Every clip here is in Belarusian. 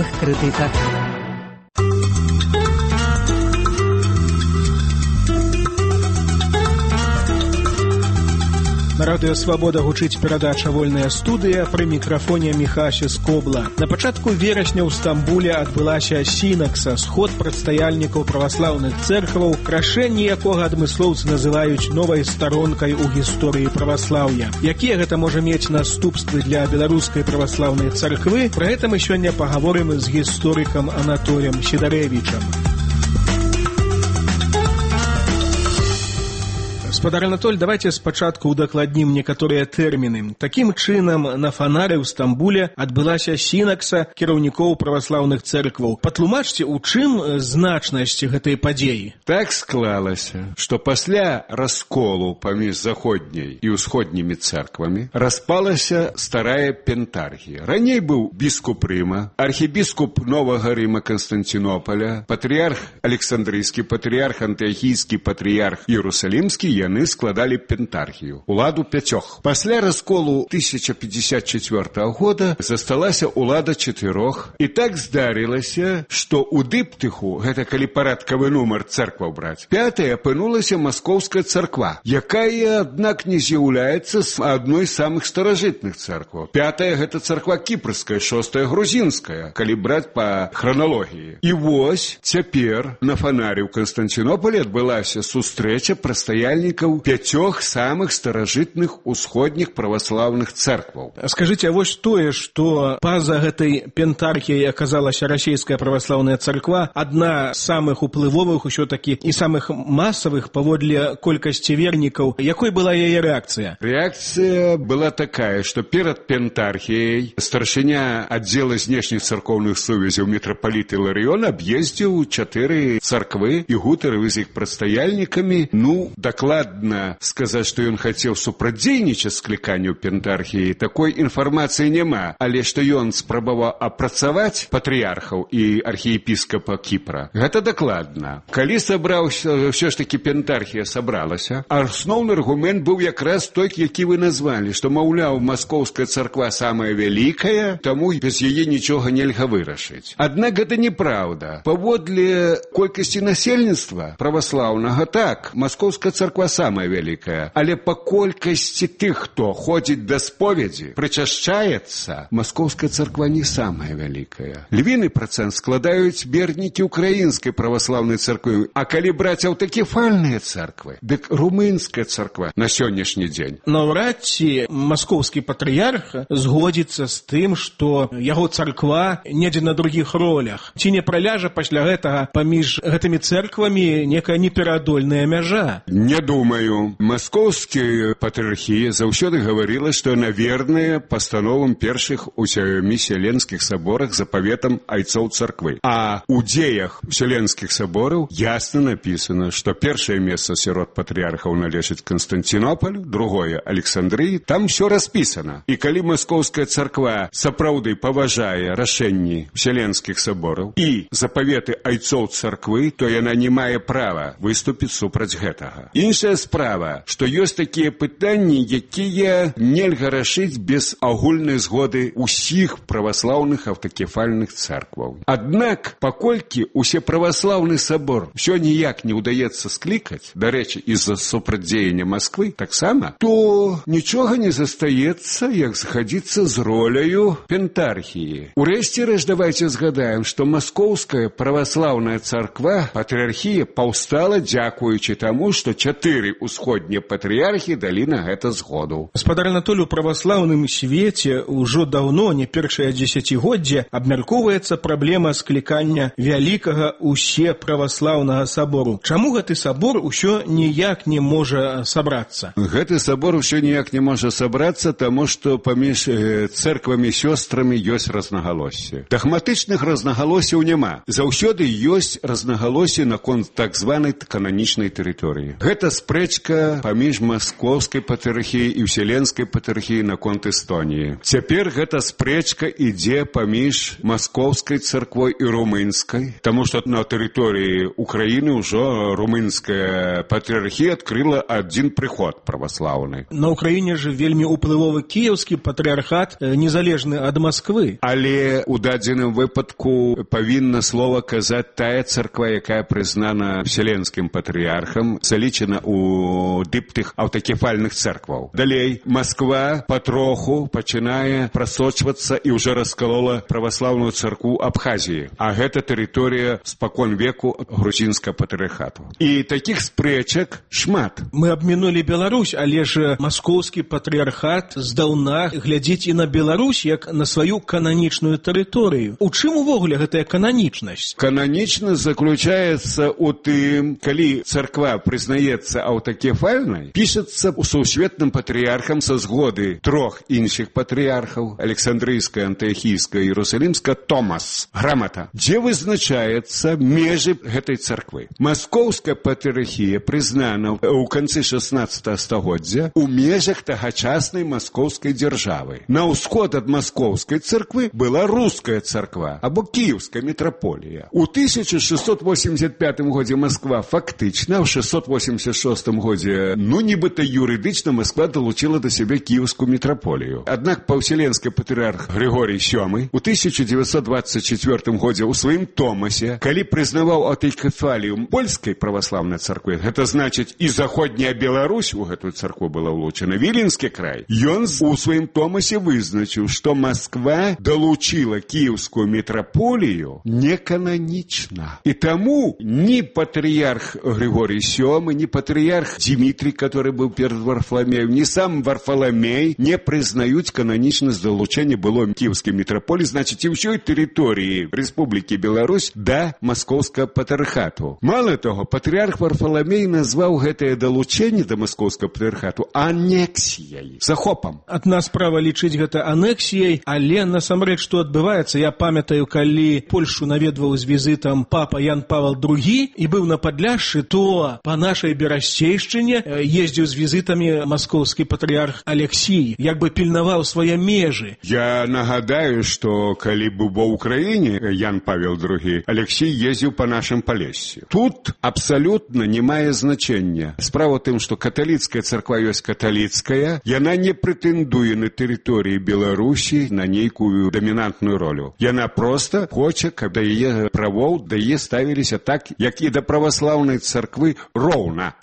навуковых крытыках. На радыё «Свабода» гучыць перадача «Вольная студыя», пры мікрафоне Міхася Скобла. На пачатку верасня ў Стамбуле адбылася сінакса, сход прадстаяльнікаў праваслаўных цэркваў, крашэнне якога адмыслоўцы называюць новай старонкай у гісторыі праваслаўя. Якія гэта можа мець наступствы для беларускай праваслаўнай царквы? Пра гэта мы сёння пагаворым з гісторыкам Анатоліем Сідарэвічам. Гаспадар Анатоль, давайте спачатку удакладнім некаторыя тэрміны. Такім чынам, на фанары ў Стамбуле адбылася сінакса кіраўнікоў праваслаўных цэркваў. Патлумачце, у чым значнасць гэтай падзеі? Так склалася, што пасля расколу паміж заходняй і ўсходнімі цэрквамі распалася старая пентархія. Раней быў біскуп Рыма, архібіскуп Новага Рыма Канстанцінополя, патрыярх Александрыйскі, патрыярх Антыахійскі, патрыярх Іерусалімскі, яны складалі пентархію, уладу 5. Пасля расколу 1054 года засталася улада 4. І так здарылася, што ў дыптыху, гэта калі парадкавы нумар цэркваў браць, 5 апынулася маскоўская царква, якая, аднак, не з'яўляецца адной з самых старажытных цэркваў. 5 гэта царква кіпрская, 6 грузінская, калі браць па храналогіі. І вось цяпер на фанары ў Канстанцінополі адбылася сустрэча прадстаяльнікаў 5 самых старажытных усходніх праваслаўных цэркваў. Скажыце, а вось тое, што па-за гэтай пентархіяй аказалася расійская праваслаўная царква, адна з самых уплывовых усё-такі і самых масавых паводле колькасці вернікаў, якой была яе рэакцыя? Рэакцыя была такая, што перад пентархіяй старшыня аддзела знешніх царкоўных сувязяў мітрапаліт Іларыён аб'ездзіў 4 царквы і гутарыў з іх прадстаяльнікамі. Дакладна сказаць, што ён хацеў супрацьдзейнічаць скліканню пентархіі, такой інфармацыі няма, але што ён спрабаваў апрацаваць патрыярхаў і архіепіскапа Кіпра, гэта дакладна. Калі сабраўся, ўсё ж такі пентархія сабралася, асноўны аргумент быў якраз той, які вы назвалі, што, маўляў, маскоўская царква самая вялікая, таму без яе нічога нельга вырашыць. Аднак гэта неправда. Паводле колькасці насельніцтва праваслаўнага, так, маскоўская царква самая вялікая, але па колькасці тых, хто ходзіць да споведзі, прычашчаецца, маскоўская царква не самая вялікая. Львіны працэнт складаюць вернікі украінскай праваслаўнай царквы, а калі браць аўтакефальныя царквы, дык румынская царква на сённяшні дзень. Наўрад ці маскоўскі патрыярх згодзіцца з тым, што яго царква недзе на другіх ролях. Ці не праляжа пасля гэтага паміж гэтымі цэрквамі некая непераадольная мяжа? Не думаю. Маскоўская патрыархія заўсёды гаварыла, што яна верная пастановам першых у Вселенскіх саборах запаветам айцоў царквы. А у дзеях Вселенскіх сабораў ясна напісана, што першае месца сярод патрыярхаў належыць Канстанцінопалю, другое Александрыі, там усё распісана. І калі маскоўская царква сапраўды паважае рашэнні Вселенскіх сабораў і запаветы айцоў царквы, то яна не мае права выступіць супраць гэтага. Іншая справа, што ёсць такія пытанні, якія нельга рашыць без агульнай згоды ўсіх праваслаўных аўтакефальных царкваў. Аднак, паколькі ўсе праваслаўны сабор ўсё ніяк не ўдаецца склікаць, дарэчы, з-за супрацьдзеяння Масквы таксама, то нічога не застаецца, як згадзіцца з роляю пентархіі. Урэшце рэшт, давайце згадаем, што маскоўская праваслаўная царква, патрыархія, паўстала дзякуючы таму, што 4 усходнія патрыярхі далі на гэта згоду. Гаспадар Анатоль, у праваслаўным свеце ўжо даўно, не першае дзесяцігоддзе, абмяркоўваецца праблема склікання вялікага усеправаслаўнага сабору. Чаму гэты сабор усё ніяк не можа сабрацца? Гэты сабор усё ніяк не можа сабрацца, таму што паміж цэрквамі-сёстрамі ёсць разнагалоссі. Дагматычных разнагалосяў няма. Заўсёды ёсць разнагалоссі наконт так званай кананічнай тэрыторыі. Гэта спрэчка паміж маскоўскай патрыархіяй і ўселенскай патрыархіяй наконт Эстоніі. Цяпер гэта спрэчка ідзе паміж маскоўскай царквой і румынскай, таму што на тэрыторыі Украіны ўжо румынская патрыархія адкрыла адзін прыход праваслаўны. На Украіне ж вельмі уплывовы кіеўскі патрыархат, незалежны ад Масквы. Але ў дадзеным выпадку павінна слова казаць тая царква, якая прызнана вселенскім патрыархам, залічана ў дыптых аўтакефальных царкваў. Далей, Масква патроху пачынае прасочвацца і ўжо раскалола праваслаўную царкву Абхазіі. А гэта тэрыторыя спакон веку грузінскага патрыархату. І такіх спрэчак шмат. Мы абмінулі Беларусь, але ж маскоўскі патрыархат здаўна глядзіць і на Беларусь як на сваю кананічную тэрыторыю. У чым увогуле гэтая кананічнасць? Кананічнасць заключаецца ў тым, калі царква прызнаецца аўтакефальнай, пішацца ў сусветным патрыархам са згоды трох іншых патрыархаў, Александрыйская, Антыахійская, Іерусалімская, Томас, грамата, дзе вызначаецца межы гэтай царквы. Маскоўская патрыархія прызнана ў канцы 16 стагоддзя ў межах тагачаснай маскоўскай дзяржавы. На ўсход ад маскоўскай царквы была руская царква або кіеўская мітраполія. У 1685 годзе Масква фактычна, ў 686 годзе, нібыта юрыдычна Масква далучила да сябе кіеўскую мітраполію. Аднак паўселенскі патрыарх Григорий VII у 1924 годзе ў сваім Томасе, калі прызнаваў аўтакефалію польскай праваслаўнай царквы, гэта значыць і заходняя Беларусь у гэтую царкву была ўлучана, Віленскі край, ён у сваім Томасе вызначыў, што Масква далучила кіеўскую мітраполію некананічна. І таму ні патрыярх Григорий VII, ні патрыярх Дмітрий, который быў перад Варфаламеем, ні сам Варфаламей не прызнаюць кананічнасць далучэння былой кіеўскай мітраполіі, значыць, і ўсёй тэрыторыі Рэспублікі Беларусь да маскоўскага патрыархату. Мала таго, патрыярх Варфаламей назваў гэтае далучэнне да маскоўскага патрыархату анексіяй, захопам. Адна справа лічыць гэта анексіяй, але насамрэч што адбываецца? Я памятаю, калі Польшу наведваў з візітам папа Ян Павел II і быў на Падляшшы, то па нашай берасцейшчыне ездзіў з візітамі маскоўскі патрыарх Алексій, як бы пільнаваў свае межы. Я нагадаю, што калі быў ва ўкраіне Ян Павел II, Алексій ездзіў па нашым Палессі. Тут абсалютна не мае значэння. Справа ў тым, што каталіцкая царква ёсць каталіцкая, яна не прэтэндуе на тэрыторыі Беларусі на нейкую дамінантную ролю. Яна проста хоча, каб да яе правоў да яе ставіліся так, як і да праваслаўнай царквы роўна.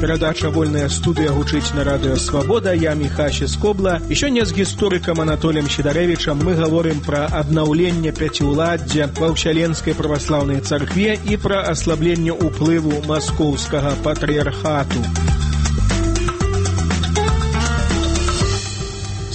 Перадача «Вольная студыя» гучыць на радыё «Свабода». Я Міхася Скобла. І сёння з гісторыкам Анатоліем Сідарэвічам мы гаворым пра аднаўленне пяціўладдзя ва ўсяленскай праваслаўнай царкве і пра аслабленне ўплыву маскоўскага патрыархату.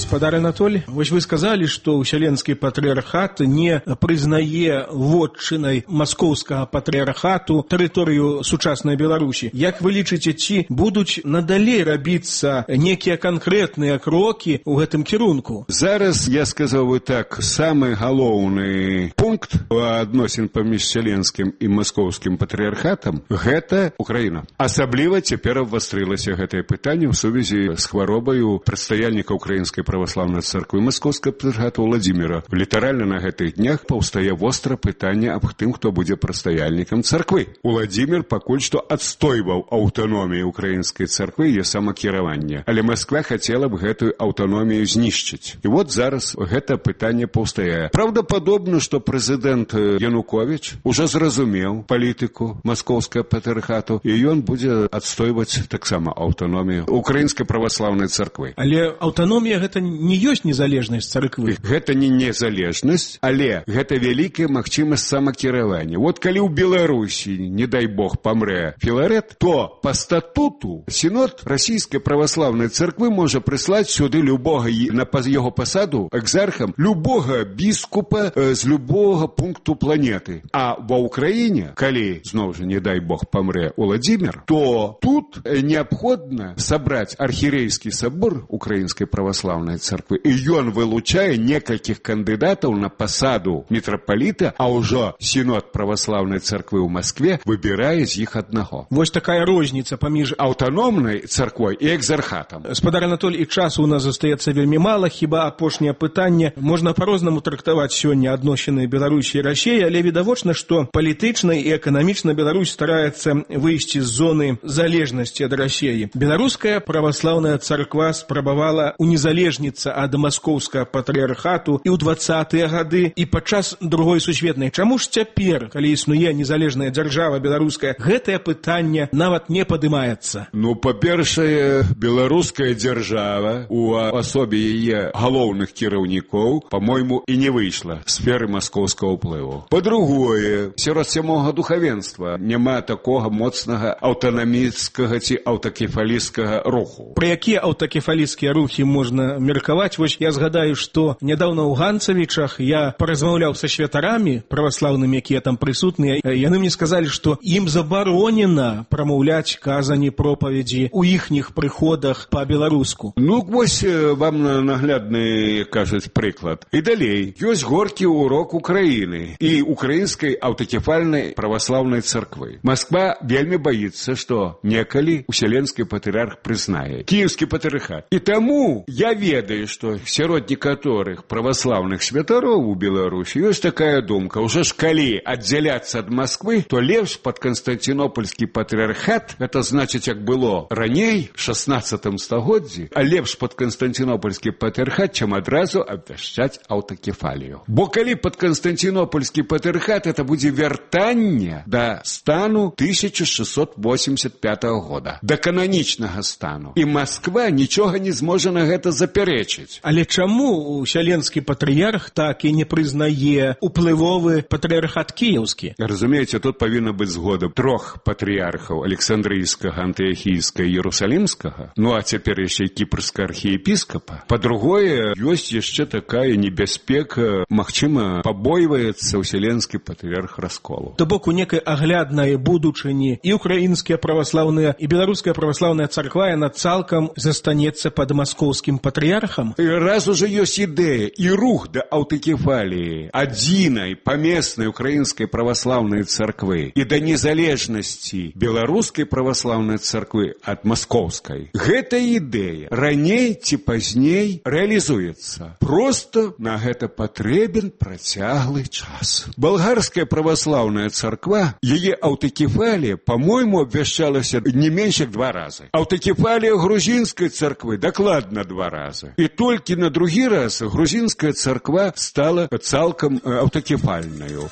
Гаспадар Анатоль, вось вы сказалі, што ўсяленскі патрыархат не прызнае вотчынай маскоўскага патрыархату тэрыторыю сучаснай Беларусі. Як вы лічыце, ці будуць надалей рабіцца некія канкрэтныя крокі ў гэтым кірунку? Зараз я сказаў бы так, самы галоўны пункт адносін паміж вселенскім і маскоўскім патрыархатам – гэта Украіна. Асабліва цяпер абвастрылася гэтае пытанне ў сувязі з хваробаю прадстаяльніка украінскай праваслаўнай царквы маскоўскага патрыархата Владзіміра. Літаральна на гэтых днях паўстае востра пытанне аб тым, хто будзе прадстаяльнікам царквы. Владзімір пакуль што адстойваў аўтаномію украінскай царквы і самакіраванне, але Масква хацела б гэтую аўтаномію знішчыць. І вот зараз гэта пытанне паўстае. Праўдападобна, што прэзідэнт Януковіч ужо зразумеў палітыку маскоўскага патрыархату, і ён будзе адстойваць таксама аўтаномію украінскай праваслаўнай царквы. Але аўтаномія гэта не ёсць незалежнасць царквы. Гэта не незалежнасць, але гэта вялікая магчымасць самакіравання. Вот калі ў Беларусі, не дай Бог, памрэ Філарэт, то па статуту сінод расійскай праваслаўнай царквы можа прыслаць сюды любога на яго пасаду экзархам любога біскупа з любога пункту планеты. А ва ўкраіне, калі, зноў жа, не дай Бог, памрэ Владзімір, то тут неабходна сабраць архірэйскі сабор украінскай праваслаўнай царквы. І ён вылучае некалькіх кандыдатаў на пасаду мітрапаліта, а ўжо сінод праваслаўнай царквы ў Маскве выбірае з іх аднаго. Вось такая розніца паміж аўтаномнай царквой і экзархатам. Спадар Анатоль, і часу у нас застаецца вельмі мала, хіба апошняе пытанне. Можна па-рознаму трактаваць сёння адносіны Беларусі і Расіі, але відавочна, што палітычна і эканамічна Беларусь стараецца выйсці з зоны залежнасці ад Расіі. Беларуская праваслаўная царква спрабавала унезалежніцца ад маскоўскага патрыархату і ў 20-тыя гады, і падчас Другой сусветнай. Чаму ж цяпер, калі існуе незалежная дзяржава беларуская, гэтае пытанне нават не падымаецца? Ну, па-першае, беларуская дзяржава у асобе яе галоўных кіраўнікоў, па-мойму, і не выйшла з сферы маскоўскага ўплыву. Па-другое, сярод сямога духавенства няма такога моцнага аўтанаміцкага ці аўтакефалісцкага руху. Пра якія аўтакефалісцкія рухі можна меркаваць? Вось я згадаю, што нядаўна ў Ганцавічах я паразмаўляў са святарамі праваслаўнымі, якія там прысутныя. Яны мне сказалі, што ім забаронена прамаўляць казані, пропаведзі ў іхніх прыходах па-беларуску. Ну, вось вам наглядны, кажуць, прыклад. І далей, ёсць горкі урок Украіны і украінскай аўтакефальнай праваслаўнай царквы. Масква вельмі баіцца, што некалі уселенскі патрыарх прызнае кіеўскі патрыархат. І таму я ведаю, што сярод некаторых праваслаўных святароў у Беларусі ёсць такая думка: ўжо ж калі аддзяляцца ад Масквы, то лепш пад канстанцінопольскі патрыархат, гэта значыць, як было раней, 16 стагоддзі, а лепш пад канстанцінопольскі патрыархат, чым адразу абвяшчаць аўтакефалію. Бо калі пад канстанцінопольскі патрыархат, это будзе вяртанне да стану 1685 года, да кананічнага стану. І Масква нічога не зможа на гэта запярэчыць. Але чаму уселенскі патрыярх так і не прызнае уплывовы патрыархат кіеўскі? Разумееце, тут павінна быць згода трох патрыярхаў: Александрыйскага, Антыахійскага і Ерусалімскага, ну а цяпер яшчэ і кіпрскага архіепіскапа. Па-другое, ёсць яшчэ такая небяспека, магчыма, пабойваецца уселенскі патрыярх расколу. То бок у некай агляднай будучыні і украінская праваслаўная, і беларуская праваслаўная царква, яна цалкам застанецца пад маскоўскім патрыярхам? І раз уже ёсць ідэя і рух да аўтакефаліі адзінай памеснай украінскай праваслаўнай царквы і да незалежнасці беларускай праваслаўнай царквы ад маскоўскай, гэта ідэя раней ці пазней рэалізуецца. Просто на гэта патрэбен працяглы час. Балгарская праваслаўная царква, яе аўтакефалія, па-мойму, абвяшчалася не менш як 2 разы. Аўтакефалія грузінскай царквы дакладна 2 разы. І толькі на другі раз грузінская царква стала цалкам аўтакефальнаю.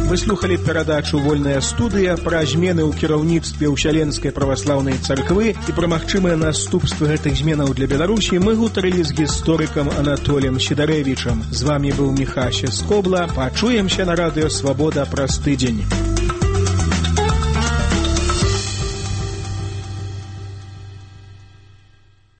Вы слухали перадачу «Вольная студыя» пра змены ў кіраўніцтве ўселенскай праваслаўнай царквы і пра магчымыя наступствы гэтых зменаў для Беларусі мы гутарылі з гісторыкам Анатолем Сідарэвічам. З вамі быў Міхася Скобла. Пачуемся на радыё «Свабода» праз тыдзень.